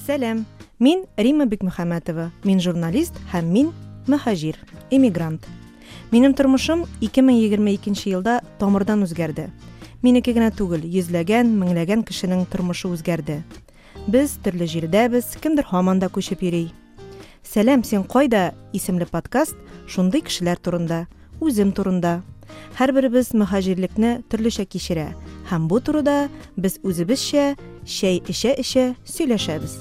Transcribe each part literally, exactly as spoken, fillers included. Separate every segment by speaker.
Speaker 1: Сәлам, мин Римма Бикмөхәммәтова, мин журналист һәм мин мөһаҗир, эмигрант. Минем тормышым ике мең егерме икенче елда тамырдан үзгәрде. Минеке генә түгел, йөзләгән, меңләгән кешенең тормышы үзгәрде. Без төрле җирдәбез, кемдер һаман да күчеп йөри. Сәлам, син кайда? Исемле подкаст шундый кешеләр турында, үзем турында. Һәрберебез мөһаҗирлекне төрлечә кичерә һәм бу турыда без үзебезчә чәй эчә-эчә сөйләшәбез.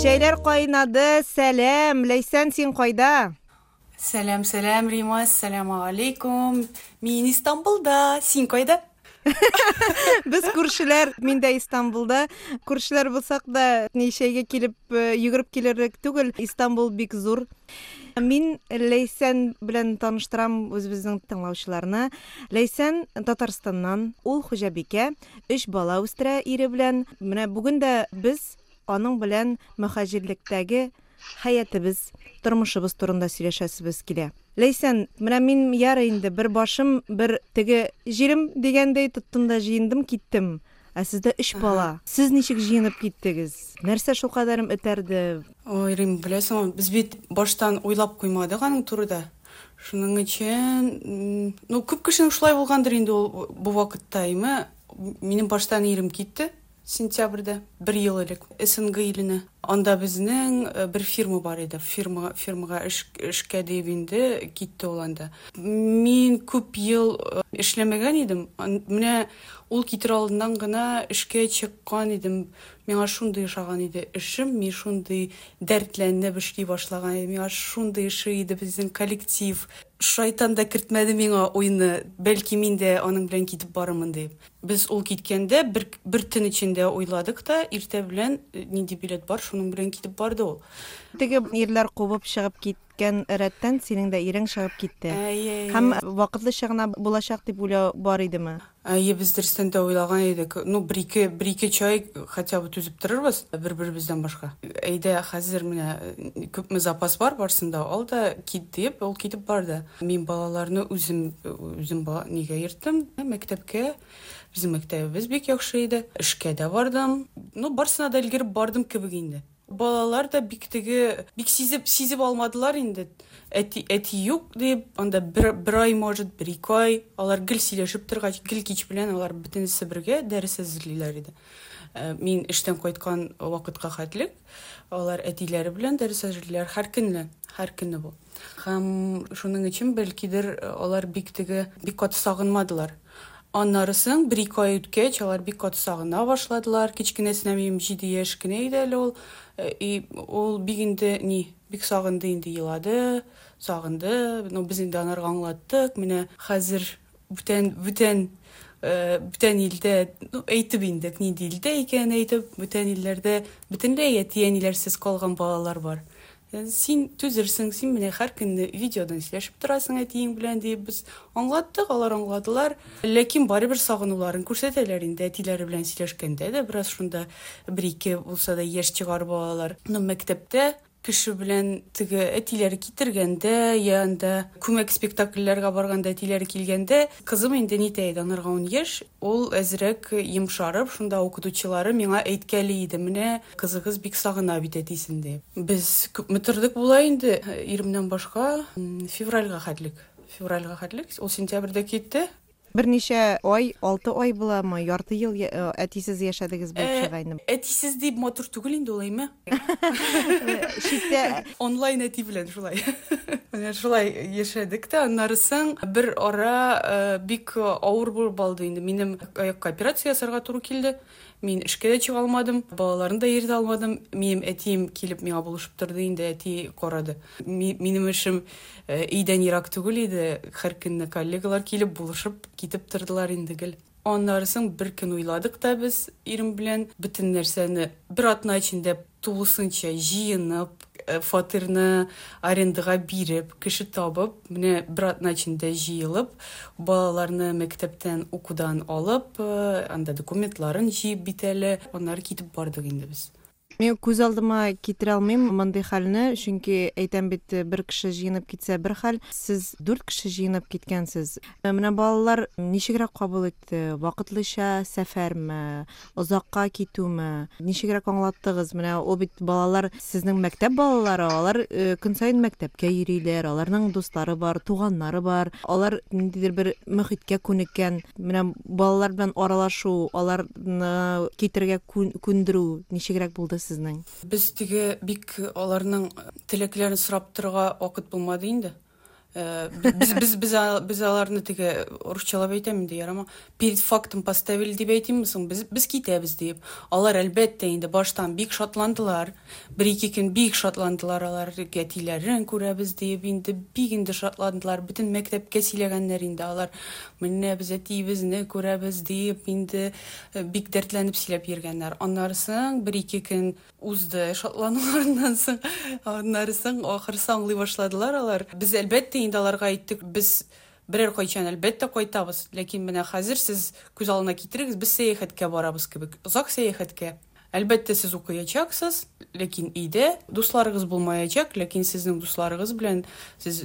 Speaker 1: Чәйләр кайнады. Сәлам, Ләйсән, син кайда?
Speaker 2: Сәлам, сәлам, Рима, ассаламу алейкум. Мин Истанбулда. Син кайда?
Speaker 1: Без күршеләр, мин дә Истанбулда. Күршеләр булсак да, ни чәйгә килеп, э, йөгереп килерлек түгел. Истанбул бик зур. Мин Ләйсән белән таныштырам үзебезнең тыңлаучыларны. Ләйсән Татарстаннан, ул хуҗабикә, өч бала үстерә ире белән. Менә бүген дә без аның белән мөһаҗирлектәге хәятыбыз, тормышыбыз турында сөйләшәсебез килә. Ләйсән, менә мин ярый инде бер башым, бер теге җирем дигәндәй тоттым да җыендым, киттем. Ә сездә өч бала. Сез ничек җыенып киттегез? Нәрсә шул кадәрем этәрде?
Speaker 2: Ой, Рим, беләсеңме, без бит баштан уйлап куймадык аның турыда. Шуның өчен, ну, күп кешенең шулай булгандыр инде ул бу вакытта, әйме? Минем баштан ирем китте сентябрьдә, бер ел элек, СНГ иленә. Анда безнең, э, бер фирма бар иде. Фирма, фирмага эш, эшкә дип инде китте ул анда. Мин күп ел, э, эшләмәгән идем. Ан-, менә ул китер алдыннан гына эшкә чыккан идем. Миңа шундый ошаган иде эшем, мин шундый дәртләнеп эшли башлаган идем. Миңа шундый эше иде безнең коллектив. Шайтан да кертмәде миңа уйны. Бәлки мин дә аның белән китеп барырмын дип. Без ул киткәндә бер, бер төн эчендә уйладык та, иртә белән нинди билет бар, шуның белән китеп барды ул.
Speaker 1: Теге ирләр кубып чыгып киткән рәттән синең дә ирең чыгып китте.
Speaker 2: Әйе, әйе.
Speaker 1: Һәм вакытлыча гына булачак дип уйлау бар идеме?
Speaker 2: Әйе, без дөрестән дә уйлаган идек. Ну, бер-ике, бер-ике чай хотя бы түзеп торырбыз бер-беребездән башка. Әйдә, хәзер менә күпме запас бар, барсын да ал да кит дип, ул китеп барды. Мин балаларны үзем, үзем бала, нигә йөрттем? Мәктәпкә. Безнең мәктәбебез бик яхшы иде. Эшкә дә бардым. Ну, барсына да өлгереп бардым кебек инде. Балалар да бик теге, бик сизеп, сизеп алмадылар инде. Әти, әти юк дип, анда бер, бер ай, может, бер ике ай. Алар гел сөйләшеп торгач, гел кич белән алар бөтенесе бергә дәрес әзерлиләр иде. Э, мин эштән кайткан вакытка хәтлек алар әтиләре белән дәрес әзерлиләр һәр көнне, һәр көнне бу. Һәм шуның өчен бәлкидер алар бик теге, бик каты сагынмадылар. Аннарысын бер ике ай үткәч, алар бик каты сагына башладылар. Кечкенәсенә минем җиде яшь кенә иде әле ул. Э, и ул бик инде ни, бик сагынды инде, елады, сагынды. Ну, без инде анарга аңлаттык. Менә хәзер бүтән, бүтән, э, бүтән илдә, ну, әйтеп инде, нинди илдә икәнен әйтеп, бүтән илләрдә бөтенләй әти-әниләрсез калган балалар бар. Э, син түзерсең, син менә һәр көнне видеодан сөйләшеп торасың әтиең белән дип без аңлаттык, алар аңладылар. Ләкин барыбер сагынуларын күрсәтәләр инде әтиләре белән сөйләшкәндә дә бераз шунда бер-ике булса да яшь чыгар балалар. Но мәктәптә кеше белән теге әтиләре китергәндә, я анда күмәк спектакльләргә барганда әтиләре килгәндә, кызым инде нитә иде, анарга ун яшь, ул әзрәк йомшарып, шунда укытучылары миңа әйткәли иде, менә кызыгыз бик сагына бит әтисен дип. Без күпме тордык була инде, иремнән башка, м, февральгә хәтлек. Февральгә хәтлек, ул сентябрьдә китте.
Speaker 1: Берничә ай, алты ай буламы, ярты ел я-, э, әтисез яшәдегез булып
Speaker 2: Э,
Speaker 1: чыга инде.
Speaker 2: Әтисез дип матур түгел инде ул, әйме?
Speaker 1: Читтә
Speaker 2: онлайн әти белән шулай. Менә шулай яшәдек тә, аннарысын бер ара, э, бик авыр булып алды инде. Минем аякка операция ясарга туры килде. Мин эшкә дә чыга алмадым, балаларны да йөртә алмадым. Минем әтием килеп миңа булышып торды инде, әти карады. Ми-, минем эшем, э, өйдән ерак түгел иде. Һәр көнне коллегалар килеп булышып китеп тордылар инде гел. Аннарысын бер көн уйладык та без ирем белән бөтен нәрсәне бер атна эчендә тулысынча җыенып, э, фатирны арендага биреп, кеше табып, менә бер атна эчендә җыелып, балаларны мәктәптән укудан алып, э, анда документларын җыеп бит әле, аннары китеп бардык инде без.
Speaker 1: Мин күз алдыма китерә алмыйм мондый хәлне, чөнки әйтәм бит, бер кеше җыенып китсә бер хәл, сез дүрт кеше җыенып киткәнсез. Менә балалар ничегрәк кабул итте? Вакытлыча сәфәрме, озакка китүме? Ничегрәк аңлаттыгыз? Менә ул бит балалар сезнең мәктәп балалары, алар көн саен мәктәпкә йөриләр, аларның дуслары бар, туганнары бар, алар ниндидер бер мөхиткә күнеккән. Менә балалар белән аралашу, аларны китергә күндерү ничегрәк булды сезнең?
Speaker 2: Без теге бик аларның теләкләрен сорап торырга вакыт булмады инде. Без, без, без, без аларны теге русчалап әйтәм инде, ярама. Перед фактом поставили дип әйтимме соң? Без, без китәбез дип. Алар әлбәттә инде баштан бик шатландылар. Бер-ике көн бик шатландылар алар, әтиләрен күрәбез дип инде бик инде шатландылар. Бөтен мәктәпкә сөйләгәннәр инде алар. Менә без әтиебезне күрәбез дип инде бик дәртләнеп сөйләп йөргәннәр. Аннары соң бер-ике көн узды шатлануларыннан соң. Аннары соң ахырсы аңлый башладылар алар. Без әлбәттә инде аларга әйттек, без берәр кайчан әлбәттә кайтабыз, ләкин менә хәзер сез күз алдына китерегез, без сәяхәткә барабыз кебек, озак сәяхәткә. Әлбәттә сез укыячаксыз, ләкин өйдә дусларыгыз булмаячак, ләкин сезнең дусларыгыз белән сез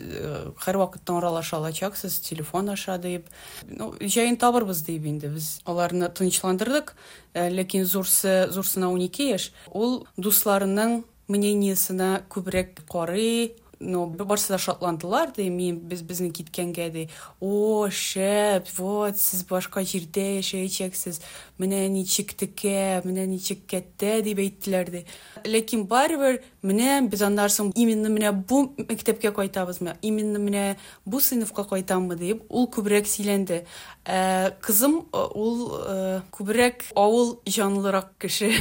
Speaker 2: һәрвакытта аралаша алачаксыз, телефон аша дип. Ну, җәен табырбыз дип инде без аларны тынычландырдык, ләкин зурсы, зурсына унике яшь, ул дусларының мнениесына күбрәк карый. Но барысы да шатландылар, ди, мин без безнең киткәнгә, ди. О, шәп, вот, сез башка җирдә яшәячәксез, менә ничек текә, менә ничек кәттә, дип әйттеләр, ди. Ләкин барыбер менә без аннан соң именно менә бу мәктәпкә кайтабызмы, именно менә бу сыйныфка кайтаммы дип, ул күбрәк сөйләнде. Ә кызым ул күбрәк авыл җанлырак кеше.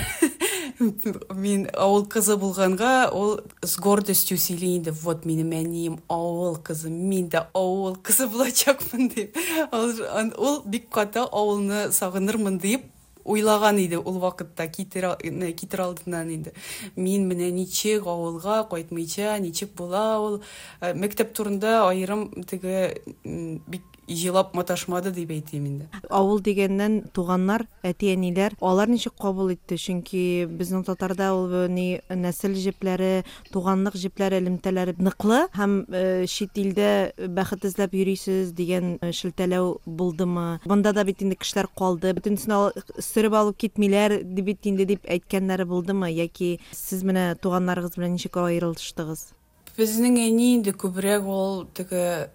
Speaker 2: Мин авыл кызы булганга, ул с гордостью сөйли инде, вот минем әнием авыл кызы, мин дә авыл кызы булачакмын дип. Ул бик каты авылны сагынырмын дип уйлаган иде ул вакытта, китер, китер алдыннан инде. Мин менә ничек авылга кайтмыйча, ничек була ул. Мәктәп турында аерым теге бик җылап маташмады дип әйтим инде.
Speaker 1: Авыл дигәннән туганнар, әти-әниләр, алар ничек кабул итте? Чөнки безнең татарда ул ни нәсел җепләре, туганлык җепләре, элемтәләре ныклы һәм чит илдә бәхет эзләп йөрисез дигән шелтәләү булдымы? Монда да бит инде кешеләр калды, бөтенесен сөреп алып китмиләр дип бит инде дип әйткәннәре булдымы? Яки сез менә туганнарыгыз белән ничек аерылыштыгыз?
Speaker 2: Безнең әни инде күбрәк ул теге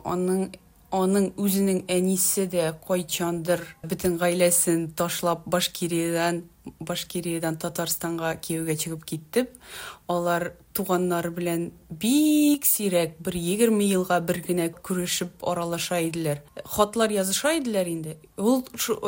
Speaker 2: аның Аның үзенең әнисе дә кайчандыр бөтен гаиләсен ташлап Башкириядән, Башкириядән Татарстанга кияүгә чыгып китеп, алар туганнары белән бик сирәк бер егерме елга бер генә күрешеп аралаша иделәр. Хатлар языша иделәр инде. Ул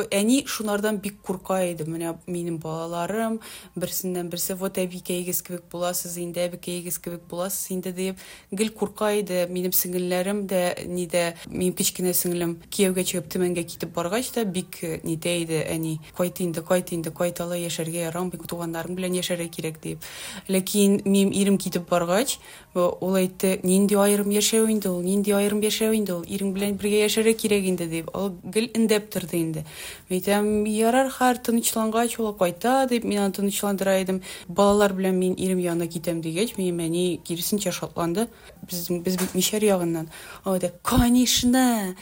Speaker 2: әни шунардан бик курка иде. Менә минем балаларым берсеннән берсе, вот әбикәегез кебек буласыз инде, әбикәегез кебек буласыз инде дип гел курка иде. Минем сеңелләрем дә нидә, минем кечкенә сеңлем кияүгә чыгып Төмәнгә китеп баргач та бик нидә иде әни. Кайт инде, кайт инде, кайт алай яшәргә ярамый, туганнарың белән яшәргә кирәк дип. Ләкин минем ирем китеп баргач, ул әйтте, нинди аерым яшәү инде ул, нинди аерым яшәү инде ул, ирең белән бергә яшәргә кирәк инде дип, ул гел эндәп торды инде. Мин әйтәм, ярар, хәр тынычлангач ул кайта дип, мин аны тынычландыра идем. Балалар белән мин ирем янына китәм дигәч, минем әни киресенчә шатланды. Без, без бит мишәр ягыннан. Ул әйтә, конечно,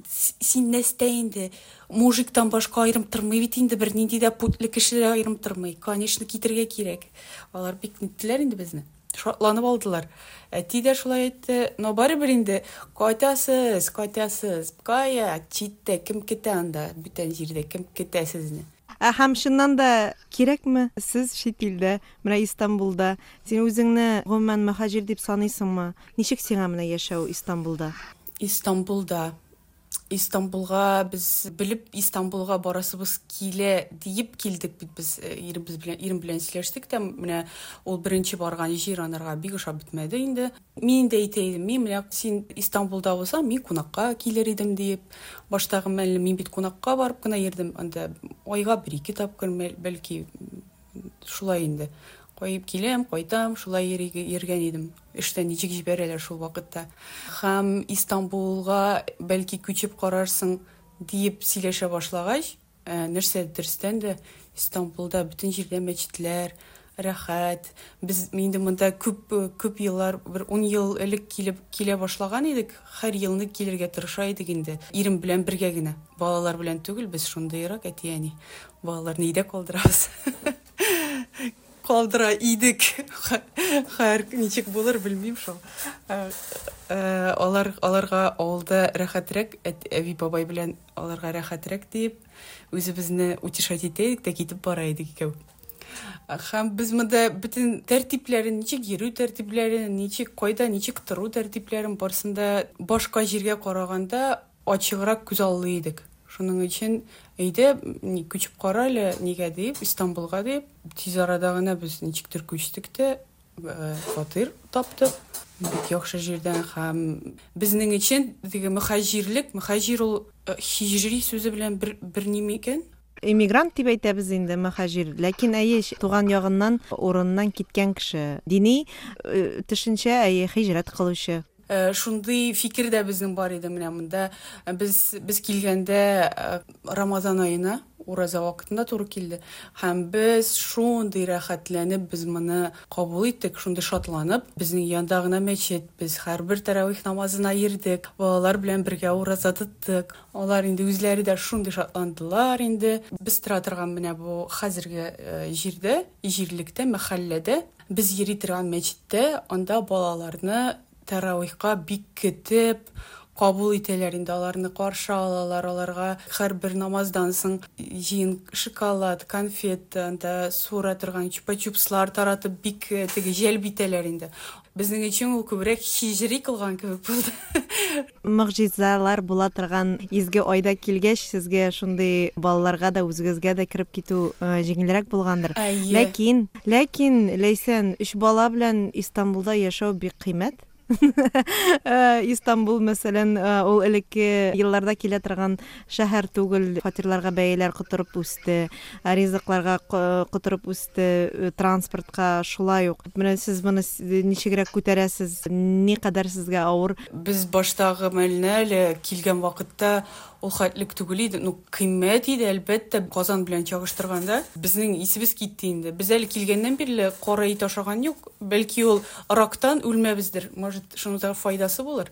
Speaker 2: син нәрсә инде, мужиктан башка аерым тормый бит инде, бер нинди дә путлы кешеләр аерым тормый. Конечно, китергә кирәк. Алар бик ниттеләр инде безне. Шатланып алдылар. Әти дә шулай әйтте, но барыбер инде кайтасыз, кайтасыз. Кая, читтә кем китә анда, бүтән җирдә кем китә сезне?
Speaker 1: Ә һәм чыннан да кирәкме сез чит илдә, менә Истанбулда, син үзеңне гомумән мөһаҗир дип саныйсыңмы? Ничек сиңа менә яшәү Истанбулда?
Speaker 2: Истанбулда Истанбулга без белеп Истанбулга барасыбыз килә диеп килдек бит без иребез белән, ирем белән сөйләштек тә, менә ул беренче барган җир анарга бик ошап бетмәде инде. Мин дә әйтә идем, мин менә син Истанбулда булсаң, мин кунакка килер идем диеп. Баштагы мәлне мин бит кунакка барып кына йөрдем, анда айга бер-ике тапкыр бәлки шулай инде. Кайып киләм, кайтам, шулай йөргән идем. Эштән ничек җибәрәләр шул вакытта. Һәм Истанбулга бәлки күчеп карарсың диеп сөйләшә башлагач, нәрсә дөрестән дә Истанбулда бөтен җирдә мәчетләр, рәхәт. Без инде монда күп күп еллар, бер ун ел элек килеп килә башлаган идек. Һәр елны килергә тырыша идек инде. Ирем белән бергә генә. Балалар белән түгел, без шундыйрак әти-әни. Балаларны өйдә калдырабыз. Калдыра идек. Хәер, ничек булыр, белмим шул. Алар, аларга авылда рәхәтрәк, әби бабай белән аларга рәхәтрәк дип, үзебезне утешать итә идек тә китеп бара идек икәү. Һәм без монда бөтен тәртипләрен, ничек йөрү тәртипләрен, ничек кайда, ничек тору тәртипләрен барсын да башка җиргә караганда ачыграк күзаллый идек. Шуның өчен әйдә, күчеп кара әле, нигә дип, Истанбулга дип, тиз арада гына без ничектер күчтек тә, фатир таптык. Бик яхшы җирдән һәм безнең өчен теге мөхаҗирлек, мөхаҗир ул һиҗри сүзе белән бер, бер ни икән?
Speaker 1: Иммигрант дип әйтәбез инде мөхаҗир, ләкин әйе, туган ягыннан, урыннан киткән кеше. Дини төшенчә, әйе, һиҗрәт кылучы.
Speaker 2: Шундый фикер дә безнең бар иде менә монда. Без, без килгәндә Рамазан аена, ураза вакытында туры килде. Һәм без шундый рәхәтләнеп без моны кабул иттек, шундый шатланып. Безнең янда гына мәчет, без һәрбер тәравих намазына йөрдек, балалар белән бергә ураза тоттык. Алар инде үзләре дә шундый шатландылар инде. Без тора торган менә бу хәзерге җирдә, җирлектә, мәхәлләдә без йөри торган мәчеттә, анда балаларны тәравихка бик көтеп кабул итәләр инде, аларны каршы алалар, аларга һәрбер намаздан соң җыен шоколад, конфет, анда суыра торган чупа-чупслар таратып бик теге җәлеп итәләр инде. Безнең өчен ул күбрәк һиҗри кылган кебек булды.
Speaker 1: Могҗизалар була торган изге айда килгәч, сезгә шундый балаларга да, үзегезгә дә кереп китү җиңелрәк булгандыр. Ләкин, ләкин Ләйсән, өч бала белән Истанбулда яшәү бик кыйммәт. Истанбул, мәсәлән, ул элекке елларда килә торган шәһәр түгел, фатирларга бәяләр котырып үсте, ризыкларга котырып үсте, транспортка шулай ук. Менә сез моны ничегрәк күтәрәсез, ни кадәр сезгә авыр?
Speaker 2: Без баштагы мәлне әле килгән вакытта ул хәтлек түгел иде, ну кыйммәт иде, әлбәттә, Казан белән чагыштырганда. Безнең исебез китте инде. Без әле килгәннән бирле кара ит ашаган юк. Бәлки ул рактан үлмәбездер, может, шуның да файдасы булыр.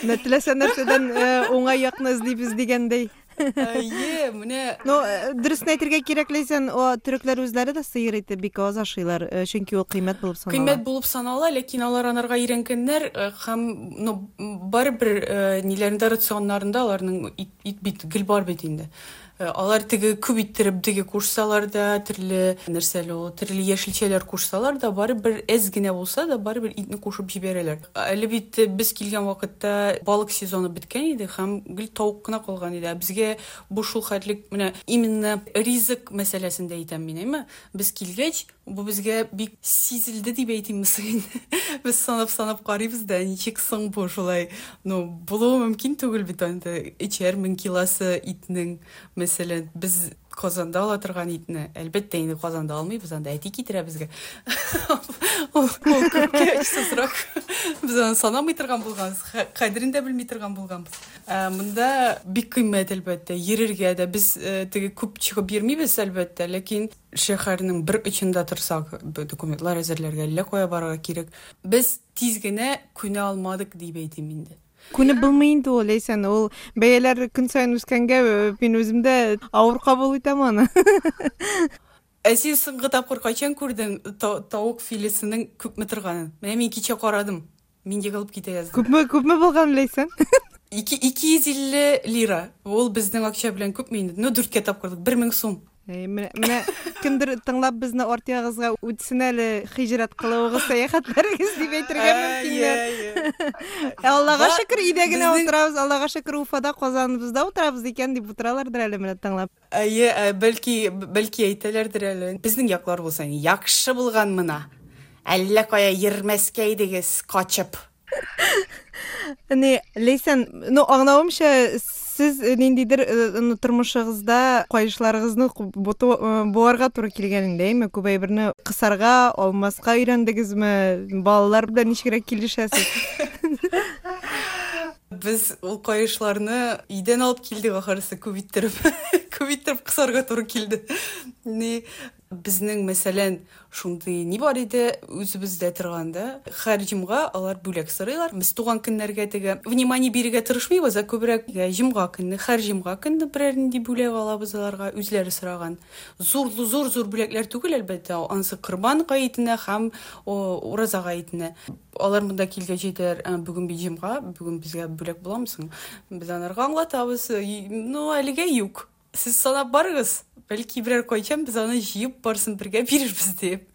Speaker 1: Менә теләсә нәрсәдән уңай якны эзлибез дигәндәй.
Speaker 2: Әйе, менә.
Speaker 1: Ну, дөресен әйтергә кирәк, Ләйсән, о төрекләр үзләре дә сыер ите бик аз ашыйлар, чөнки ул кыйммәт булып санала.
Speaker 2: Кыйммәт булып санала, ләкин алар анарга өйрәнгәннәр һәм, ну, барыбер ниләрендә, рационнарында аларның ит, ит бит гел бар бит инде. Алар теге күп иттереп теге кушсалар да, төрле нәрсәләр ул, төрле яшелчәләр кушсалар да, барыбер әз генә булса да, барыбер итне кушып җибәрәләр. Әле бит без килгән вакытта балык сезоны беткән иде һәм гел тавык кына калган иде. Безгә бу шул хәтлек, менә именно ризык мәсьәләсендә әйтәм мин, әйме? Без килгәч, бу безгә бик сизелде дип әйтимме соң инде. Без санап-санап карыйбыз да, ничек соң бу шулай? Ну, булуы мөмкин түгел бит инде. Эчәр мең килосы итнең, мәсәлән, без Казанда ала торган итне, әлбәттә инде Казанда алмыйбыз, анда әти китерә безгә. Ул күпкә очсызрак. Без аны санамый торган булганбыз, кадерен дә белми торган булганбыз. Монда бик кыйммәт, әлбәттә, йөрергә дә без теге күп чыгып йөрмибез, әлбәттә, ләкин шәһәрнең бер очында торсак, документлар әзерләргә, әллә кая барырга кирәк. Без тиз генә күнә алмадык дип әйтим инде.
Speaker 1: Күнеп булмый инде ул, Ләйсән, ул бәяләр көн саен үскәнгә мин үзем дә авыр кабул итәм аны.
Speaker 2: Ә син соңгы тапкыр кайчан күрдең тавык филесенең күпме торганын? Менә мин кичә карадым. Мин егылып китә яздым.
Speaker 1: Күпме, күпме булган, Ләйсән?
Speaker 2: Ике, ике йөз илле лира. Ул безнең акча белән күпме инде? Ну, дүрткә тапкырлык, бер мең сум.
Speaker 1: Менә, менә кемдер тыңлап безне арт ягыгызга үтсен әле, хиҗрәт кылуыгыз, сәяхәтләрегез дип әйтергә мөмкиннәр. Аллага шөкер, өйдә генә утырабыз, Аллага шөкер, Уфада, Казаныбызда утырабыз икән дип утыралардыр әле менә тыңлап.
Speaker 2: Әйе, бәлки, бәлки әйтәләрдер әле. Безнең яклар булса, яхшы булган мына. Әллә кая йөрмәскә идегез, качып.
Speaker 1: Не, Ләйсән, ну, аңлавымча, сез ниндидер тормышыгызда кайышларыгызны буарга туры килгән инде, әйме? Күп әйберне кысарга, алмаска өйрәндегезме? Балалар белән ничегрәк килешәсез?
Speaker 2: Без ул кайышларны өйдән алып килдек ахырысы, күп иттереп. Күп итеп кысарга туры килде. Ни безнең, мәсәлән, шундый ни бар иде үзебездә торганда, һәр җомга алар бүләк сорыйлар. Без туган көннәргә теге внимание бирергә тырышмыйбыз, ә күбрәк җомга көнне, һәр җомга көнне берәр нинди бүләк алабыз аларга, үзләре сораган. Зур зур зур бүләкләр түгел, әлбәттә, ансы Корбан гаетенә һәм Ураза гаетенә. Алар монда килгәч әйтәләр, бүген бит җомга, бүген безгә бүләк буламы соң? Без аларга аңлатабыз, ну, әлегә юк. Сез санап барыгыз, бәлки берәр кайчан без аны җыеп барсын бергә бирербез дип.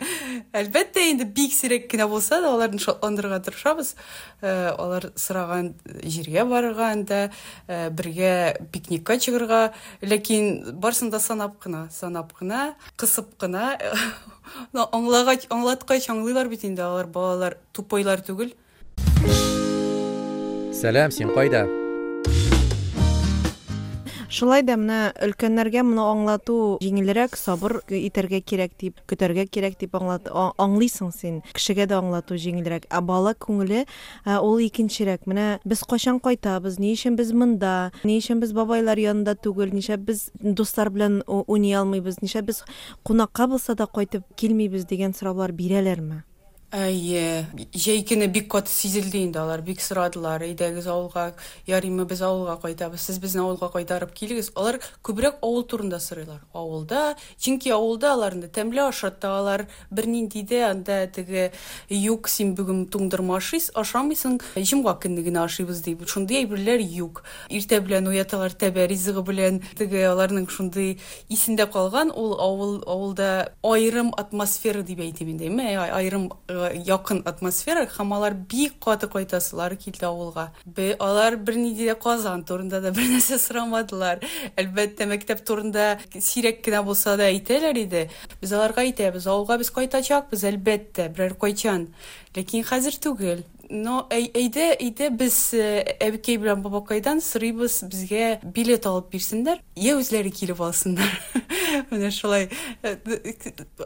Speaker 2: Әлбәттә, инде бик сирәк кенә булса да аларны шатландырырга тырышабыз. Алар сораган җиргә барырга, анда бергә пикникка чыгарга, ләкин барсын да санап кына, санап кына, кысып кына. Аңлагач, аңлаткач аңлыйлар бит инде, алар балалар тупойлар түгел.
Speaker 3: Сәлам, син кайда?
Speaker 1: Шулай да менә өлкәннәргә моны аңлату җиңелрәк, сабыр итәргә кирәк дип, көтәргә кирәк дип аңлат, аңлыйсың син. Кешегә дә аңлату җиңелрәк. Ә бала күңеле ул икенчерәк. Менә без кайчан кайтабыз, ни өчен без монда, ни өчен без бабайлар янында түгел, нишләп без дуслар белән уйный алмыйбыз, нишләп без кунакка булса да кайтып килмибез дигән сораулар бирәләрме?
Speaker 2: Әйе, җәй көне бик каты сизелде инде, алар бик сорадылар, әйдәгез авылга, ярыймы без авылга кайтабыз, сез безне авылга кайтарып килегез. Алар күбрәк авыл турында сорыйлар. Авылда, чөнки авылда аларны тәмле ашаталар, бернинди дә анда теге юк, син бүген туңдырма ашыйсың, ашамыйсың, җомга көнне генә ашыйбыз дип, шундый әйберләр юк. Иртә белән уяталар тәбә ризыгы белән, теге аларның шундый исендә калган ул авыл, авылда аерым атмосфера дип әйтим инде, аерым якын атмосфера, һәм алар бик каты кайтасылар килде авылга. Алар бернинди дә Казан турында да бер нәрсә сорамадылар. Әлбәттә, мәктәп турында сирәк кенә булса да әйтәләр иде. Без аларга әйтәбез, авылга без кайтачакбыз, әлбәттә, берәр кайчан. Ләкин хәзер түгел. Но әйдә, әйдә без әбекәй белән бабакайдан сорыйбыз, безгә билет алып бирсеннәр, я үзләре килеп алсыннар. Менә шулай.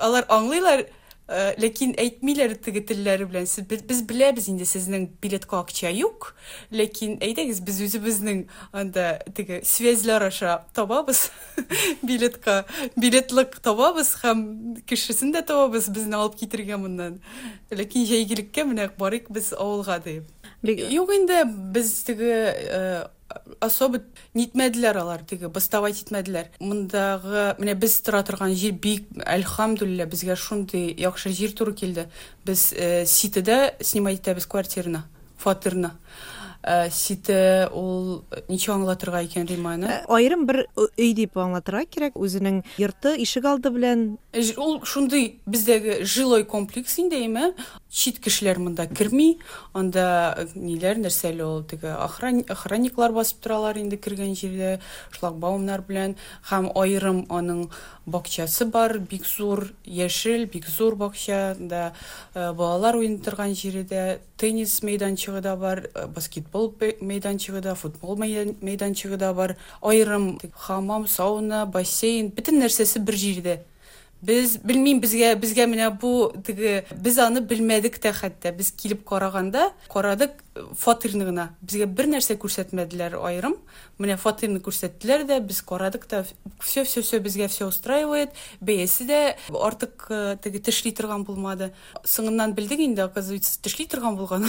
Speaker 2: Алар аңлыйлар, ләкин әйтмиләр теге телләре белән. Без беләбез инде сезнең билетка акча юк, ләкин әйдәгез без үзебезнең анда теге связьләр аша табабыз билетка, билетлык табабыз һәм кешесен дә табабыз безне алып китергә моннан. Ләкин җәйгелеккә менә барыйк без авылга дип. Юк инде без теге особо нитмәделәр алар, теге бастовать итмәделәр. Мондагы менә без тора торган җир бик, әлхәмдүлилләһ, безгә шундый яхшы җир туры килде. Без Ситеда снимать итәбез квартираны, фатирны. Сите ул ничек аңлатырга икән Риманы?
Speaker 1: Аерым бер өй дип аңлатырга кирәк, үзенең йорты, ишек алды белән.
Speaker 2: Ул шундый бездәге жилой комплекс инде, әйме? Чит кешеләр монда керми, анда ниләр, нәрсәле ул, теге охранниклар басып торалар инде кергән җирдә, шлагбаумнар белән, һәм аерым аның бакчасы бар, бик зур, яшел, бик зур бакча, анда балалар уйный торган җире дә, теннис мәйданчыгы да бар, баскетбол мәйданчыгы да, футбол мәйданчыгы да бар, аерым хамам, сауна, бассейн, бөтен нәрсәсе бер җирдә. Без белмим, безгә, безгә менә бу теге, без аны белмәдек тә хәтта. Без килеп караганда, карадык фатирны гына. Безгә бер нәрсә күрсәтмәделәр аерым. Менә фатирны күрсәттеләр дә, без карадык та, все, все, все безгә все устраивает. Бәясе дә артык теге тешли торган булмады. Соңыннан белдек инде, оказывается, тешли торган булган.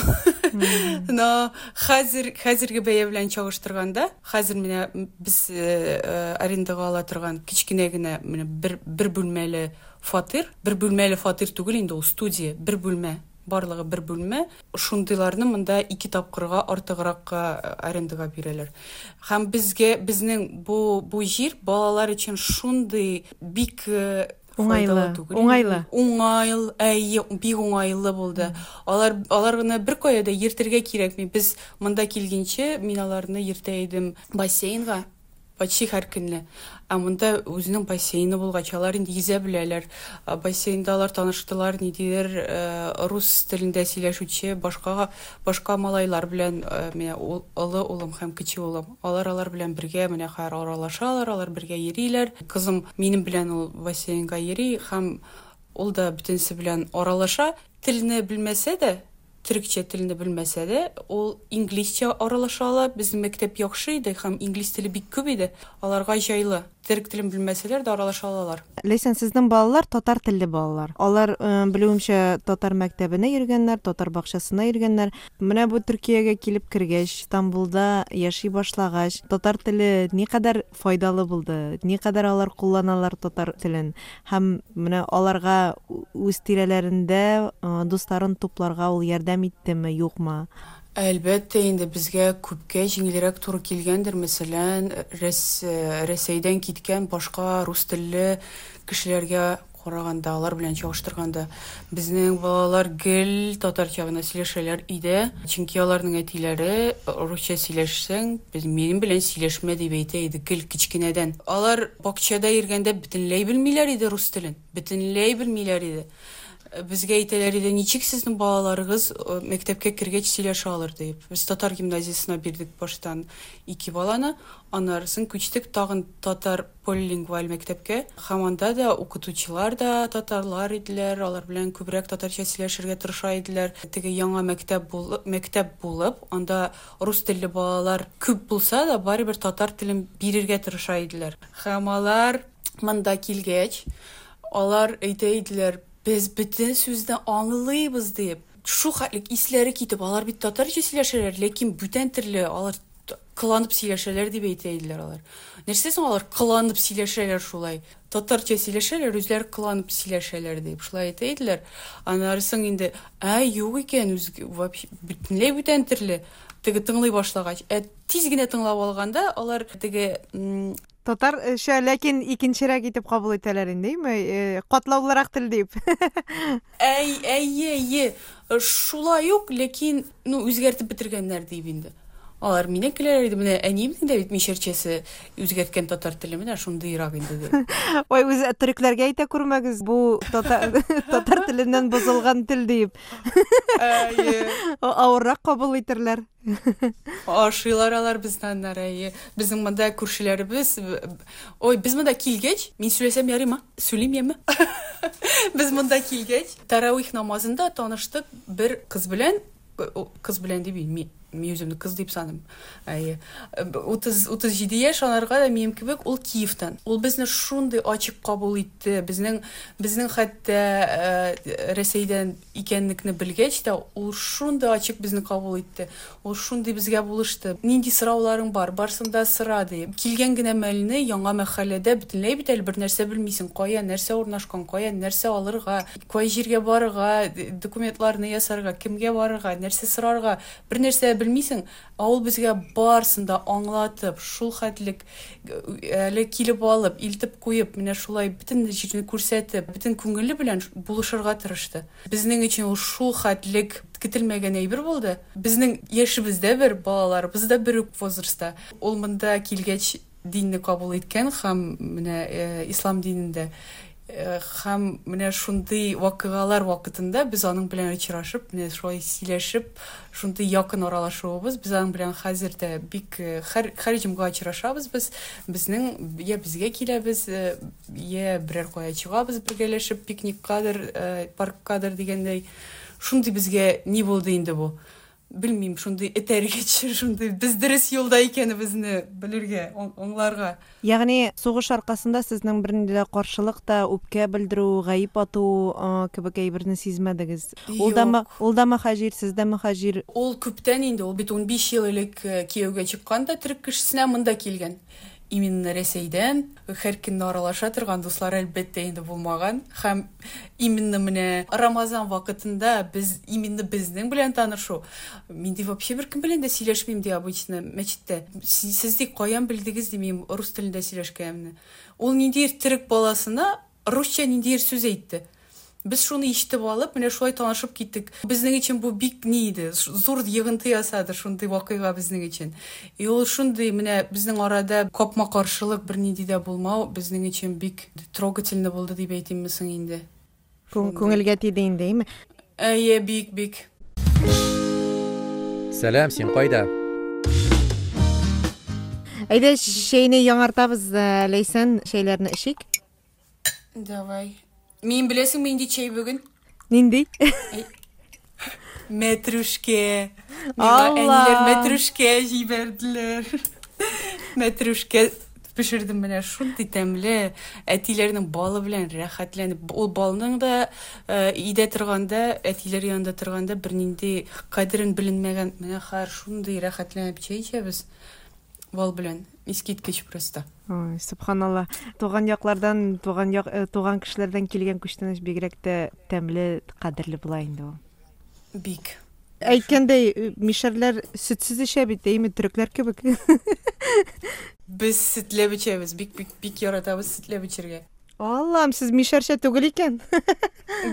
Speaker 2: Но хәзер, хәзерге бәя белән чагыштырганда, хәзер менә без арендага ала торган кечкенә генә менә бер, бер бүлмәле фатир, бер бүлмәле фатир түгел инде ул, студия, бер бүлмә, барлыгы бер бүлмә. Шундыйларны монда ике тапкырга артыгракка арендага бирәләр. Һәм безгә, безнең бу, бу җир балалар өчен шундый бик
Speaker 1: уңайлы, уңайлы.
Speaker 2: Уңайлы, әйе, бик уңайлы булды. Алар, алар гына бер кая да йөртергә кирәкми. Без монда килгәнче мин аларны йөртә идем бассейнга. Почти һәр көнне. Ә монда үзенең бассейны булгач, алар инде йөзә беләләр. Бассейнда алар таныштылар, ниндидер рус телендә сөйләшүче башка, башка малайлар белән, менә олы улым һәм кече улым. Алар алар белән бергә менә хәзер аралашалар, алар бергә йөриләр. Кызым минем белән ул бассейнга йөри һәм ул да бөтенесе белән аралаша. Телне белмәсә дә, төркчә телне белмәсә дә, ул инглизчә аралаша ала. Безнең мәктәп яхшы иде һәм инглиз теле бик күп иде. Аларга җайлы. Төрек телен белмәсәләр дә аралаша алалар.
Speaker 1: Ләйсән, сезнең балалар татар телле балалар. Алар, э, белүемчә, татар мәктәбенә йөргәннәр, татар бакчасына йөргәннәр. Менә бу Төркиягә килеп кергәч, Истанбулда яши башлагач, татар теле никадәр файдалы булды, никадәр алар кулланалар татар телен һәм менә аларга үз тирәләрендә э, дусларын тупларга ул ярдәм иттеме, юкмы?
Speaker 2: Әлбәттә инде безгә күпкә җиңелрәк туры килгәндер, мәсәлән, Рәс, Рәсәйдән киткән башка рус телле кешеләргә караганда, алар белән чагыштырганда, безнең балалар гел татарча гына сөйләшәләр өйдә, чөнки аларның әтиләре русча сөйләшсәң, без минем белән сөйләшмә дип әйтә иде гел кечкенәдән. Алар бакчада йөргәндә бөтенләй белмиләр иде рус телен, бөтенләй белмиләр иде. Безгә әйтәләр иде, ничек сезнең балаларыгыз, э, мәктәпкә кергәч сөйләшә алыр дип. Без татар гимназиясенә бирдек баштан ике баланы, аннарысын күчтек тагын татар полилингваль мәктәпкә. Һәм анда да укытучылар да татарлар иделәр, алар белән күбрәк татарча сөйләшергә тырыша иделәр. Теге яңа мәктәп бул-, мәктәп булып, анда рус телле балалар күп булса да, барыбер татар телен бирергә тырыша иделәр. Һәм алар монда килгәч, алар әйтә иделәр, без бөтен сүзне аңлыйбыз дип. Шу хәтлек исләре китеп, алар бит татарча сөйләшәләр, ләкин бүтән төрле алар т-, кыланып сөйләшәләр дип әйтә иделәр алар. Нәрсә соң алар кыланып сөйләшәләр шулай? Татарча сөйләшәләр, үзләре кыланып сөйләшәләр дип шулай әйтә иделәр. Аннары соң инде, ә юк икән, үз вообще бөтенләй бүтән төрле. Теге тыңлый башлагач, ә тиз генә тыңлап алганда алар теге, м,
Speaker 1: Татарча, ләкин икенчерәк итеп кабул итәләр инде, әйме? Э, катлаулырак тел дип.
Speaker 2: Әй, әйе, әйе. Шулай ук, ләкин, ну, үзгәртеп бетергәннәр дип инде. Алар мине көләләр иде, менә әниемнең дә бит мишәрчәсе үзгәрткән татар теле, менә шундыйрак инде дип.
Speaker 1: Ой, үзе төрекләргә әйтә күрмәгез, бу татар, татар теленнән бозылган тел дип.
Speaker 2: Әйе.
Speaker 1: Авыррак кабул итерләр.
Speaker 2: Ашыйлар алар безне аннары, әйе. Безнең монда күршеләребез, ой, без монда килгәч, мин сөйләсәм ярыймы? Сөйлим яме? Без монда килгәч, таравих намазында таныштык бер кыз белән, о, кыз белән дип, мин, мин үземне кыз дип саныйм. Әйе. Утыз, утыз җиде яшь, анарга да минем кебек, ул Киевтан. Ул безне шундый ачык кабул итте. Безнең, безнең хәтта, э, Рәсәйдән икәнлекне белгәч тә, ул шундый ачык безне кабул итте. Ул шундый безгә булышты. Нинди сорауларың бар, барсын да сора ди. Килгән генә мәлне яңа мәхәлләдә бөтенләй бит әле бер нәрсә белмисең. Кая нәрсә урнашкан, кая нәрсә алырга, кай җиргә барырга, документларны ясарга, кемгә барырга, нәрсә сорарга, бер нәрсә белмисең. Ә ул безгә барсын да аңлатып, шул хәтлек әле килеп алып, илтеп куеп, менә шулай бөтен җирне күрсәтеп, бөтен күңеле белән булышырга тырышты. Безнең өчен ул шул хәтлек көтелмәгән әйбер булды. Безнең яшебездә бер, балаларыбыз да бер үк возрастта. Ул монда килгәч динне кабул иткән һәм менә, э, ислам динендә. Э, һәм менә шундый вакыйгалар вакытында без аның белән очрашып, менә шулай сөйләшеп, шундый якын аралашуыбыз, без аның белән хәзер дә бик, э, һәр, һәр җомга очрашабыз без. Безнең я безгә киләбез, э, я берәр кая чыгабыз бергәләшеп, пикниккадыр, э, парккадыр дигәндәй. Шундый безгә ни булды инде бу? Белмим, шундый этәргеч, шундый без дөрес юлда икәнебезне белергә, аңларга.
Speaker 1: Ягъни сугыш аркасында сезнең бернинди дә каршылык та, үпкә белдерү, гаеп ату, а, кебек әйберне сизмәдегез. Ул да
Speaker 2: Юк.
Speaker 1: ма-, ул да мөхаҗир, сез дә мөхаҗир.
Speaker 2: Ул күптән инде, ул бит унбиш ел элек, э, кияүгә чыккан да төрек кешесенә монда килгән. Именно Рәсәйдән һәр көнне аралаша торган дуслар әлбәттә инде булмаган. Һәм именно менә Рамазан вакытында без именно безнең белән танышу. Мин ди вообще бер кем белән дә сөйләшмим ди обычно мәчеттә. Сез, сез ди каян белдегез ди мин рус телендә сөйләшкәнемне. Ул ниндидер төрек баласына русча ниндидер сүз әйтте. Без шуны ишетеп алып, менә шулай танышып киттек. Безнең өчен бу бик ни иде, ш-, зур йогынты ясады шундый вакыйга безнең өчен. И ул шундый менә безнең арада капма-каршылык бернинди дә булмау безнең өчен бик трогательно булды дип әйтимме соң инде.
Speaker 1: Күң-,
Speaker 2: Шундый.
Speaker 1: Күңелгә тиде инде, әйме?
Speaker 2: Әйе, бик, бик.
Speaker 3: Сәлам, син кайда?
Speaker 1: Әйдә, чәйне яңартабыз, э, Ләйсән, чәйләрне эчик.
Speaker 2: Давай. Мин беләсеңме нинди чәй бүген?
Speaker 1: Нинди?
Speaker 2: Әй, мәтрүшкә. Миңа
Speaker 1: Алла!
Speaker 2: әниләр мәтрүшкә җибәрделәр. Мәтрүшкә Пешердем менә шундый тәмле, әтиләрнең балы белән рәхәтләнеп. Ул балның да өйдә торганда, әтиләр янында торганда бернинди кадерен беленмәгән. Менә хәзер шундый рәхәтләнеп чәй эчәбез бал белән. Искиткеч просто.
Speaker 1: Ой, субханалла. Туган яклардан, туган як, туган кешеләрдән килгән күчтәнәч бигрәк тә тәмле, кадерле була инде ул.
Speaker 2: Бик.
Speaker 1: Әйткәндәй, мишәрләр сөтсез эчә бит, әйме, төрекләр кебек.
Speaker 2: Без сөтләп эчәбез, бик бик бик яратабыз сөтләп эчәргә.
Speaker 1: Аллам, сез мишәрчә түгел икән.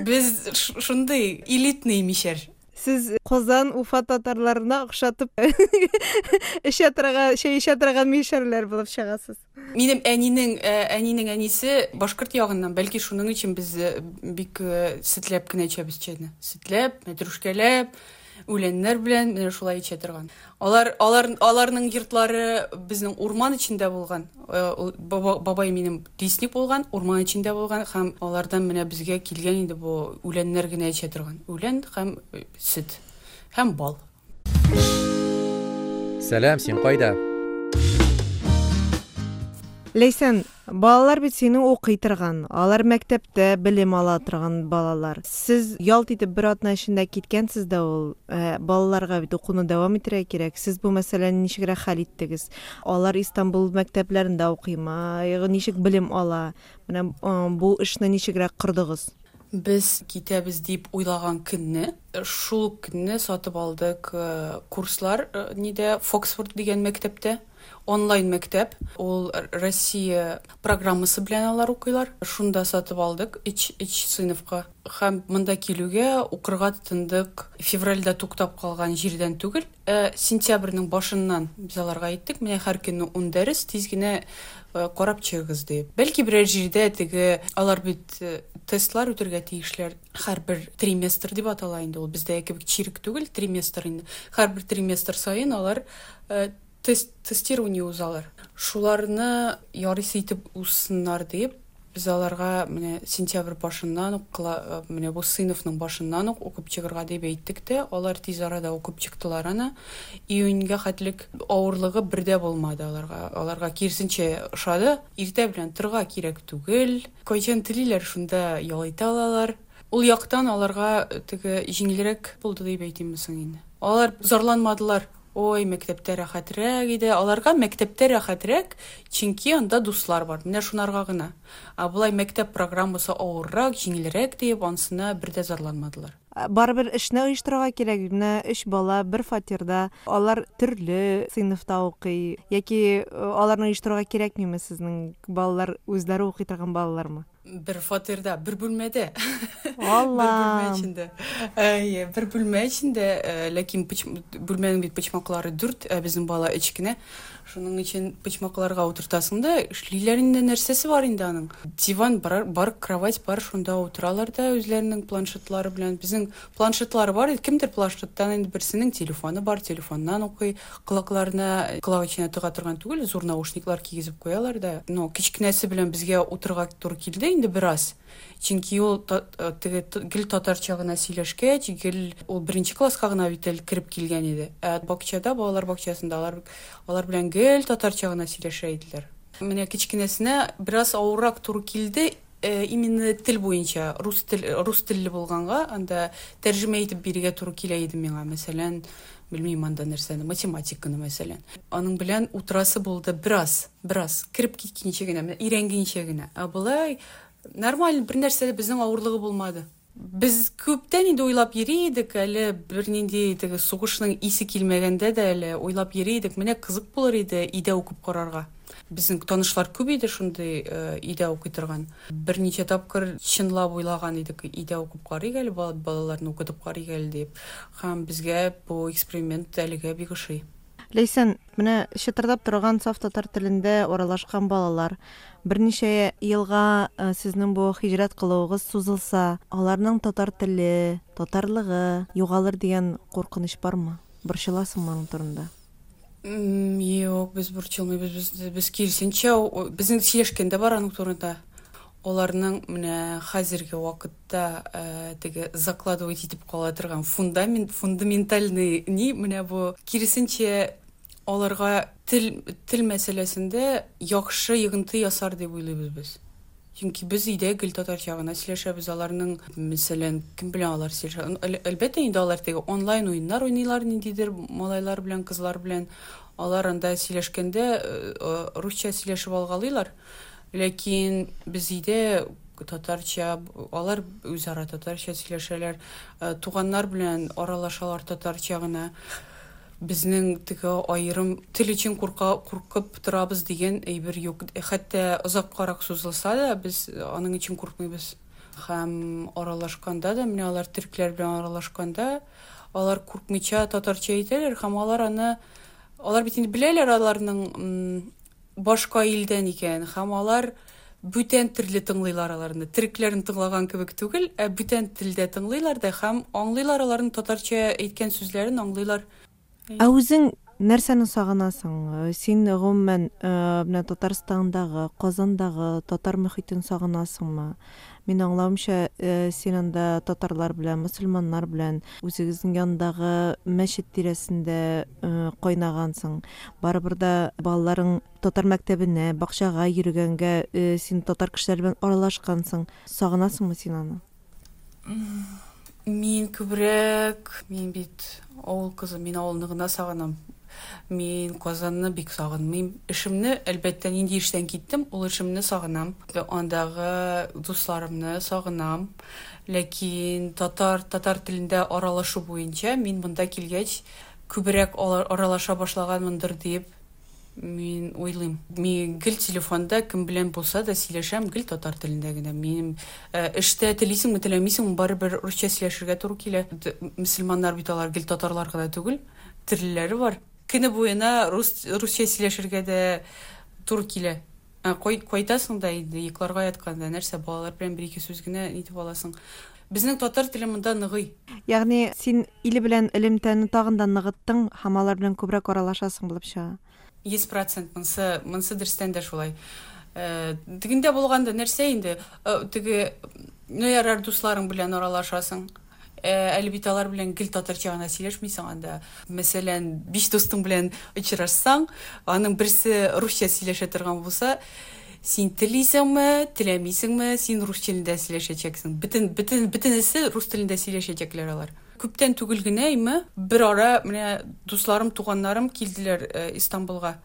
Speaker 2: Без шундый элитный мишәр.
Speaker 1: Сез Казан, Уфа татарларына охшатып эчә торган, чәй эчә торган мишәрләр булып чыгасыз.
Speaker 2: Минем әнинең, әнинең әнисе башкорт ягыннан, бәлки шуның өчен без бик сөтләп кенә эчәбез чәйне. Сөтләп, мәтрүшкәләп, үләннәр белән менә шулай эчә торган. Алар, алар, аларның йортлары безнең урман эчендә булган. Бабай минем лесник булган, урман эчендә булган һәм алардан менә безгә килгән инде бу үләннәр генә эчә торган. Үлән һәм сөт һәм бал.
Speaker 3: Сәлам, син кайда?
Speaker 1: Ләйсән, балалар бит сине укый торган, алар мәктәптә белем ала торган балалар. Сез ялт итеп бер атна эчендә киткәнсез дә ул, ә, балаларга бит укуны дәвам итәргә кирәк. Сез бу мәсьәләне ничегрәк хәл иттегез? Алар Истанбул мәктәпләрендә укыймы? Ничек белем ала? Менә бу эшне ничегрәк кордыгыз?
Speaker 2: Без китәбез дип уйлаган көнне, шул көнне сатып алдык курслар нидә Фоксфорд дигән мәктәптә. Онлайн мәктәп, ул Россия программасы белән алар укыйлар. Шунда сатып алдык өч, өч сыйныфка. Һәм монда килүгә укырга тотындык. Февральдә туктап калган җирдән түгел, ә сентябрьнең башыннан без аларга әйттек, менә һәр көнне ун дәрес, тиз генә карап чыгыгыз дип. Бәлки берәр җирдә теге алар бит тестлар үтәргә тиешләр. Һәрбер триместр дип атала инде ул. Бездә кебек чирек түгел, триместр инде. Һәрбер триместр саен алар тест, тестирование узалар. Шуларны ярыйсы итеп узсыннар дип, без аларга менә сентябрь башыннан ук, менә бу сыйныфның башыннан ук укып чыгарга дип әйттек тә, алар тиз арада укып чыктылар аны. Июньгә хәтлек авырлыгы бер дә булмады аларга. Аларга киресенчә ошады. Иртә белән торырга кирәк түгел. Кайчан телиләр, шунда ял итә алалар. Ул яктан аларга теге җиңелрәк булды дип әйтимме соң инде. Алар зарланмадылар. Ой, мәктәптә рәхәтрәк иде. Аларга мәктәптә рәхәтрәк, чөнки анда дуслар бар. Менә шунарга гына. Ә болай мәктәп программасы авыррак, җиңелрәк дип, ансына бер дә зарланмадылар.
Speaker 1: Барыбер эшне оештырырга кирәк. Менә өч бала бер фатирда, алар төрле сыйныфта укый. Яки аларны оештырырга кирәкмиме сезнең балалар үзләре укый торган балалармы?
Speaker 2: Бер фатирда, бер бүлмәдә.
Speaker 1: Алла.
Speaker 2: Бер бүлмә эчендә. Әйе, бер бүлмә эчендә, ләкин бүлмәнең бит почмаклары дүрт, ә безнең бала өч кенә. Шуның өчен почмакларга утыртасың да, эшлиләр инде, нәрсәсе бар инде аның. Диван бар, бар, кровать бар, шунда утыралар да үзләренең планшетлары белән. Безнең планшетлары бар, кемдер планшеттан инде берсенең телефоны бар, телефоннан укый, колакларына, колак эченә тыга торган түгел, зур наушниклар кигезеп куялар да. Но кечкенәсе белән безгә утырырга туры килде инде бераз. Чөнки ул теге гел татарча гына сөйләшкәч, гел ул беренче класска гына бит әле кереп килгән иде. Ә бакчада, балалар бакчасында алар, алар белән гел татарча гына сөйләшә иделәр. Менә кечкенәсенә бераз авыррак туры килде, именно тел буенча, рус тел, рус телле булганга, анда тәрҗемә итеп бирергә туры килә иде миңа, мәсәлән, белмим анда нәрсәне, математиканы мәсәлән. Аның белән утырасы булды бераз, бераз, кереп киткәнчә генә, менә өйрәнгәнчә генә. Ә болай нормаль, бер нәрсә дә безнең авырлыгы булмады. Без күптән инде уйлап йөри идек, әле бернинди теге сугышның исе килмәгәндә дә әле уйлап йөри идек. Менә кызык булыр иде өйдә укып карарга. Безнең танышлар күп иде шундый өйдә укый торган. Берничә тапкыр чынлап уйлаган идек, өйдә укып карыйк әле, балаларны укытып карыйк әле дип. Һәм безгә бу эксперимент әлегә бик ошый.
Speaker 1: Ләйсән, менә чытырдап торган саф татар телендә аралашкан балалар берничә елга сезнең бу һиҗрәт кылуыгыз сузылса, аларның татар теле, татарлыгы югалыр дигән куркыныч бармы? Борчыласыңмы аның турында?
Speaker 2: Юк, без борчылмыйбыз, без, без киресенчә, безнең сөйләшкәндә бар аның турында. Аларның менә хәзерге вакытта теге закладывать итеп кала торган фундамент, фундаментальный ни, менә бу киресенчә Аларга тел тел мәсьәләсендә яхшы йогынты ясар дип уйлыйбыз без. Чөнки без өйдә гел татарча гына сөйләшәбез. Аларның, мәсәлән, кем белән алар сөйләшә? Әлбәттә инде алар теге онлайн уеннар уйныйлар ниндидер малайлар белән, кызлар белән. Алар анда сөйләшкәндә русча сөйләшеп алгалыйлар. Ләкин без өйдә татарча, алар үзара татарча сөйләшәләр, туганнар белән аралашалар татарча гына. Безнең теге аерым тел өчен курка, куркып торабыз дигән әйбер юк. Хәтта озаккарак сузылса да, без аның өчен куркмыйбыз. Һәм аралашканда да, менә алар төркләр белән аралашканда, алар куркмыйча татарча әйтәләр һәм алар аны, алар бит инде беләләр аларның башка илдән икән, һәм алар бүтән төрле тыңлыйлар аларны. Төрекләрне тыңлаган кебек түгел, ә бүтән телдә тыңлыйлар да һәм аңлыйлар аларның татарча әйткән сүзләрен, аңлыйлар.
Speaker 1: Ә үзең нәрсәне сагынасың? Син гомумән менә Татарстандагы, Казандагы татар мөхитен сагынасыңмы? Мин аңлавымча, син анда татарлар белән, мөселманнар белән үзегезнең янындагы мәчет тирәсендә кайнагансың. Барыбер дә балаларың татар мәктәбенә, бакчага йөргәнгә син татар кешеләре белән аралашкансың. Сагынасыңмы син аны?
Speaker 2: Мин күбрәк, мин бит авыл кызы, мин авылны гына сагынам. Мин Казанны бик сагынмыйм. Эшемне, әлбәттә, нинди эштән киттем, ул эшемне сагынам. Андагы дусларымны сагынам. Ләкин татар, татар телендә аралашу буенча мин монда килгәч күбрәк аралаша башлаганмындыр дип мин уйлыйм. Мин гел телефонда кем белән булса да сөйләшәм, гел татар телендә генә. Минем эштә телисеңме, теләмисеңме, барыбер русча сөйләшергә туры килә. Мөселманнар бит алар гел татарлар гына түгел, төрлеләре бар. Көне буена рус, русча сөйләшергә дә туры килә. Кайтасың да инде йокларга ятканда нәрсә, балалар белән бер-ике сүз генә нитеп аласың. Безнең татар теле монда ныгый.
Speaker 1: Ягъни син иле белән элемтәне тагын да ныгыттың һәм алар белән күбрәк аралашасың булып чыга.
Speaker 2: Йөз процент монсы, монсы дөрестән дә шулай. Э, тегендә булганда нәрсә инде, теге, ну ярар, дусларың белән аралашасың. Әле бит алар белән гел татарча гына сөйләшмисең анда. Мәсәлән, биш дустың белән очрашсаң, аның берсе русча сөйләшә торган булса, син телисеңме, теләмисеңме, син рус телендә сөйләшәчәксең. Бөтен, бөтен, бөтенесе рус телендә сөйләшәчәкләр алар. Күптән түгел генә име, бер ара менә дусларым, туганнарым килделәр Истанбулга.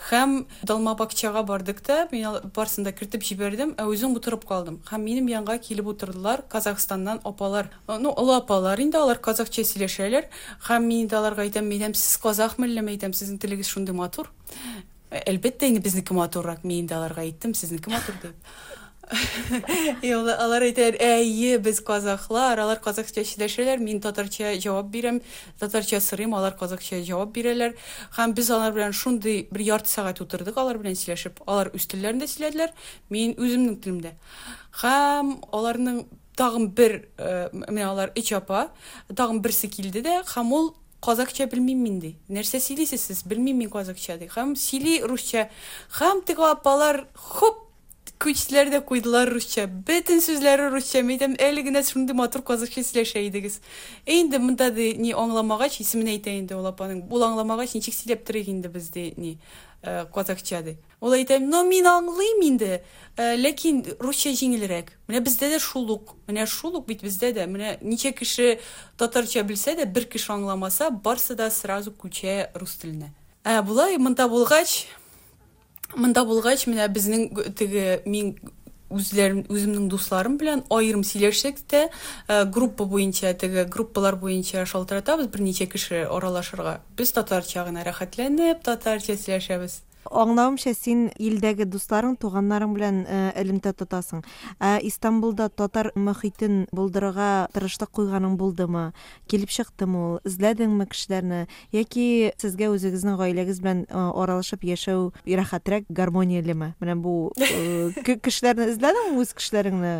Speaker 2: Һәм Долмабакчага бардык та, мин барысын да кертеп җибәрдем, ә үзем утырып калдым. Һәм минем янга килеп утырдылар Казахстаннан апалар. Ну, олы апалар инде, алар казахча сөйләшәләр. Һәм мин инде аларга әйтәм, әйтәм, сез казахмы әллә, әйтәм, сезнең телегез шундый матур. Әлбәттә инде безнеке матуррак, мин инде аларга әйттем, сезнеке матур дип. Алар әйтәләр, әйе, без казахлар, алар казахча сөйләшәләр, мин татарча җавап бирәм, татарча сорыйм, алар казахча җавап бирәләр. Һәм без алар белән шундый бер ярты сәгать утырдык, алар белән сөйләшеп. Алар үз телләрендә сөйләделәр, мин үземнең телемдә. Һәм аларның тагын бер, менә алар өч апа, тагын берсе килде дә, һәм ул казахча белмим мин ди. Нәрсә сөйлисез сез? Белмим мин казахча ди. Һәм сөйли русча. Һәм теге апалар хоп күчләр дә куйдылар русча. Бөтен сүзләре русча. Мин әйтәм, әле генә шундый матур казахча сөйләшә идегез. Ә инде монда ди, ни аңламагач, исемен әйтә инде ул апаның. Ул аңламагач, ничек сөйләп торыйк инде без ди, ни, казахча ди. Ул әйтә, но мин аңлыйм инде, ләкин русча җиңелрәк. Менә бездә дә шул ук. Менә шул ук бит бездә дә. Менә ничә кеше татарча белсә дә, бер кеше аңламаса, барсы да сразу күчә рус теленә. Ә болай монда булгач, монда булгач, менә безнең теге мин үзләрем, үземнең дусларым белән аерым сөйләшсәк тә, группа буенча, теге группалар буенча шалтыратабыз берничә кеше аралашырга. Без татарча гына рәхәтләнеп, татарча сөйләшәбез.
Speaker 1: Аңлавымча, син илдәге дусларың, туганнарың белән элемтә тотасың. Ә Истанбулда татар мөхитен булдырырга тырышлык куйганың булдымы? Килеп чыктымы ул? Эзләдеңме кешеләрне? Яки сезгә үзегезнең гаиләгез белән аралашып яшәү рәхәтрәк, гармониялеме? Менә бу кешеләрне эзләдеңме, үз кешеләреңне?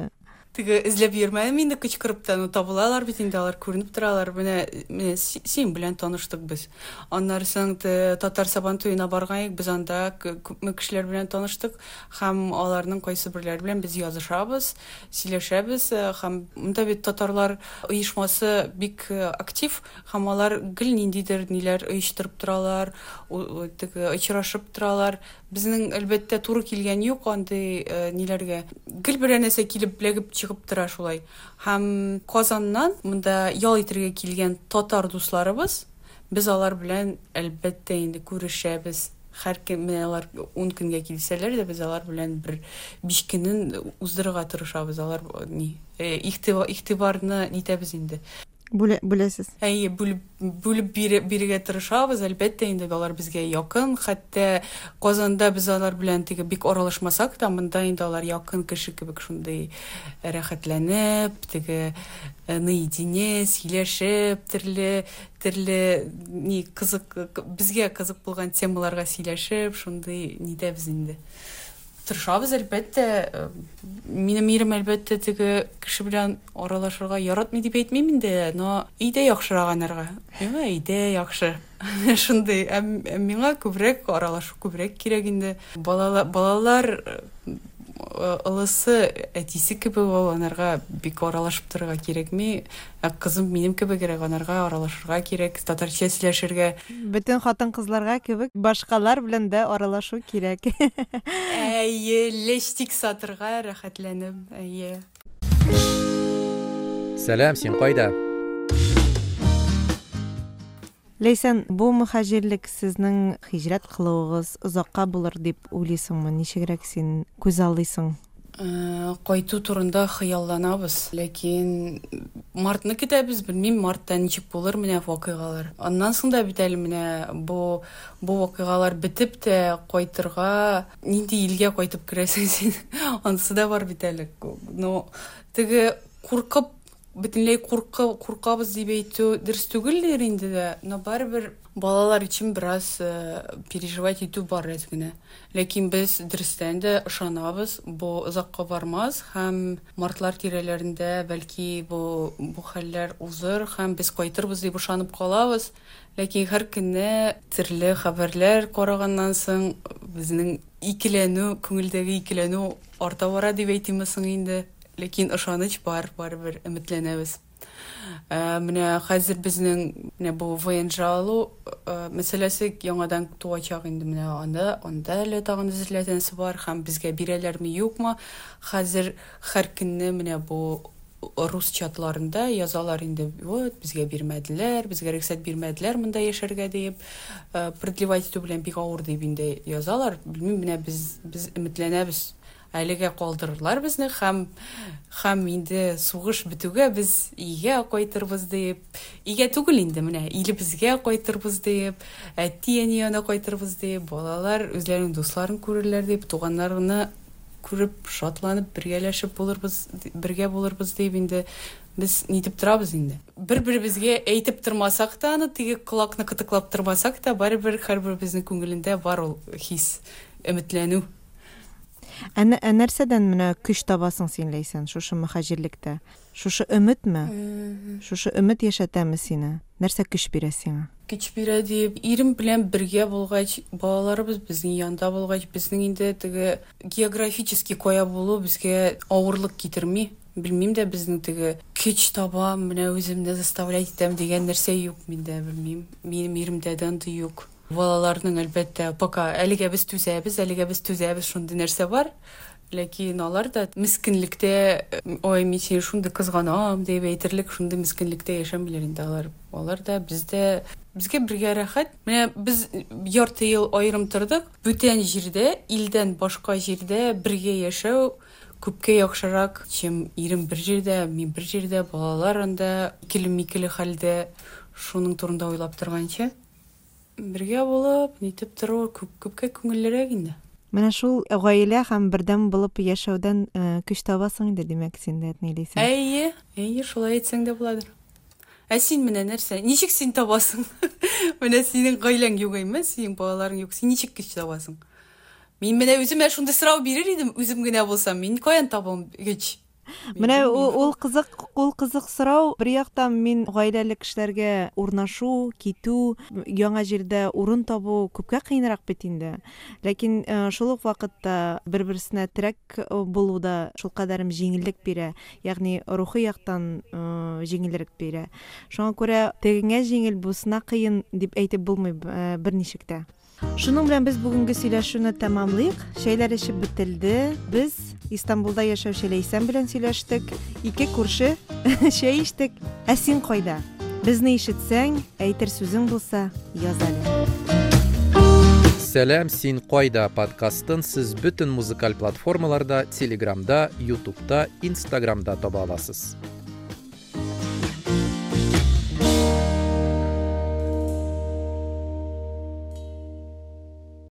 Speaker 2: Теге эзләп йөрмәдем инде кычкырып та, но табылалар бит инде, алар күренеп торалар. Менә менә син белән таныштык без. Аннары соң татар Сабан туена барган идек, без анда күпме кешеләр белән таныштык һәм аларның кайсы берләре белән без язышабыз, сөйләшәбез һәм монда бит татарлар оешмасы бик актив һәм алар гел ниндидер ниләр оештырып торалар, теге очрашып торалар. Безнең әлбәттә туры килгән юк андый ниләргә. Гел берәр нәрсә килеп эләгеп чыгып тора шулай. Һәм Казаннан монда ял итәргә килгән татар дусларыбыз, без алар белән әлбәттә инде күрешәбез. Һәр көн менә алар ун көнгә килсәләр дә, без алар белән бер биш көнен уздырырга тырышабыз. Алар ни, игътибарны нитәбез инде.
Speaker 1: Бүлә, бүләсез.
Speaker 2: Әйе, бүлеп, бүлеп бирергә тырышабыз, әлбәттә инде алар безгә якын. Хәтта Казанда без алар белән теге бик аралашмасак та, монда инде алар якын кеше кебек шундый рәхәтләнеп, теге наедине сөйләшеп, төрле төрле ни кызык, безгә кызык булган темаларга сөйләшеп, шундый нитәбез инде. Тырышабыз, әлбәттә. Минем ирем әлбәттә теге кеше белән аралашырга яратмый дип әйтмим инде, но өйдә яхшырак анарга. Миңа өйдә яхшы. Шундый, ә миңа күбрәк аралашу күбрәк кирәк инде. Балалар, балалар олысы әтисе кебек ул, анарга бик аралашып торырга кирәкми. Ә кызым минем кебегрәк, анарга аралашырга кирәк, татарча сөйләшергә.
Speaker 1: Бөтен хатын-кызларга кебек башкалар белән дә аралашу кирәк.
Speaker 2: Әйе, лештик сатырга рәхәтләнеп, әйе.
Speaker 3: Сәлам, син кайда?
Speaker 1: Ләйсән, бу мөхаҗирлек сезнең һиҗрәт кылуыгыз озакка булыр дип уйлыйсыңмы? Ничегрәк син күз алдыйсың?
Speaker 2: Кайту турында хыялланабыз, ләкин мартны көтәбез, белмим, мартта ничек булыр менә вакыйгалар. Аннан соң да бит әле менә бу бу вакыйгалар бетеп тә кайтырга, нинди илгә кайтып керәсең син? Анысы да бар бит әле. Но теге куркып, бөтенләй куркы, куркабыз дип әйтү дөрес түгелдер инде дә, но барыбер балалар өчен бераз переживать итү бар әз генә. Ләкин без дөрестән дә ышанабыз, бу озакка бармас һәм мартлар тирәләрендә бәлки бу бу хәлләр узыр һәм без кайтырбыз дип ышанып калабыз. Ләкин һәр көнне төрле хәбәрләр караганнан соң безнең икеләнү, күңелдәге икеләнү арта бара дип әйтимме соң инде. Ләкин ышаныч бар, барыбер өметләнәбез. Менә хәзер безнең менә бу вэ эн жэ алу мәсьәләсе яңадан туачак инде, менә анда, анда әле тагын әзерләнәсе бар һәм безгә бирәләрме, юкмы. Хәзер һәр көнне менә бу рус чатларында язалар инде, вот безгә бирмәделәр, безгә рөхсәт бирмәделәр монда яшәргә дип, продлевать итү белән бик авыр дип инде язалар. Белмим, менә без без өметләнәбез. Әлегә калдырырлар безне һәм һәм инде сугыш бетүгә без өйгә кайтырбыз дип, өйгә түгел инде, менә илебезгә кайтырбыз дип, әти-әни янына кайтырбыз дип, балалар үзләренең дусларын күрерләр дип, туганнарны күреп, шатланып, бергәләшеп булырбыз, бергә булырбыз дип инде без нитеп торабыз инде. Бер-беребезгә әйтеп тормасак та, аны теге колакны кытыклап тормасак та, барыбер һәрберебезнең күңелендә бар ул хис, өметләнү.
Speaker 1: Ә, ә нәрсәдән менә көч табасың син, Ләйсән, шушы мөхаҗирлектә? Шушы өметме? Шушы өмет яшәтәме сине? Нәрсә көч бирә сиңа?
Speaker 2: Көч бирә дип, ирем белән бергә булгач, балаларыбыз безнең янда булгач, безнең инде теге географически кая булу безгә авырлык китерми. Белмим дә, безнең теге көч табам, менә үземне заставлять итәм дигән нәрсә юк миндә, белмим. Минем иремдә дә андый юк. Балаларның әлбәттә, пока әлегә без түзәбез, әлегә без түзәбез, шундый нәрсә бар. Ләкин алар да мескенлектә, ой, мин сине шундый кызганам дип әйтерлек шундый мескенлектә яшәмиләр инде алар. Алар да, без дә, безгә бергә рәхәт. Менә без ярты ел аерым тордык. Бүтән җирдә, илдән башка җирдә бергә яшәү күпкә яхшырак, чем ирем бер җирдә, мин бер җирдә, балалар анда икеле-микеле хәлдә, шуның турында уйлап торганчы. Бергә булып, нитеп тору күп, күпкә күңеллерәк инде.
Speaker 1: Менә шул гаилә һәм бердәм булып яшәүдән көч табасың инде, димәк, син дә, Ләйсән.
Speaker 2: Әйе, әйе, шулай әйтсәң дә буладыр. Ә син менә нәрсә? Ничек син табасың? Менә синең гаиләң юк әйме, синең балаларың юк. Син ничек көч табасың? Мин менә үземә шундый сорау бирер идем, үзем генә булсам, мин каян табам көч?
Speaker 1: Менә ул кызык, ул кызык сорау. Бер яктан мин гаиләле кешеләргә урнашу, китү, яңа җирдә урын табу күпкә кыенрак бит инде. Ләкин шул ук вакытта бер-берсенә терәк булу да шулкадәрем җиңеллек бирә, ягъни рухи яктан җиңелрәк бирә. Шуңа күрә тегеңә җиңел, бусына кыен дип әйтеп булмый берничек тә. Шуның белән без бүгенге сөйләшүне тәмамлыйк. Чәйләр эчеп бетелде. Без Истанбулда яшәүче Ләйсән белән сөйләштек. Ике күрше чәй эчтек. Ә син кайда? Безне ишетсәң, әйтер сүзең булса, яз әле.
Speaker 3: Сәлам, син кайда подкастын сез бөтен музыкаль платформаларда, Телеграмда, Ютубта, Инстаграмда таба аласыз.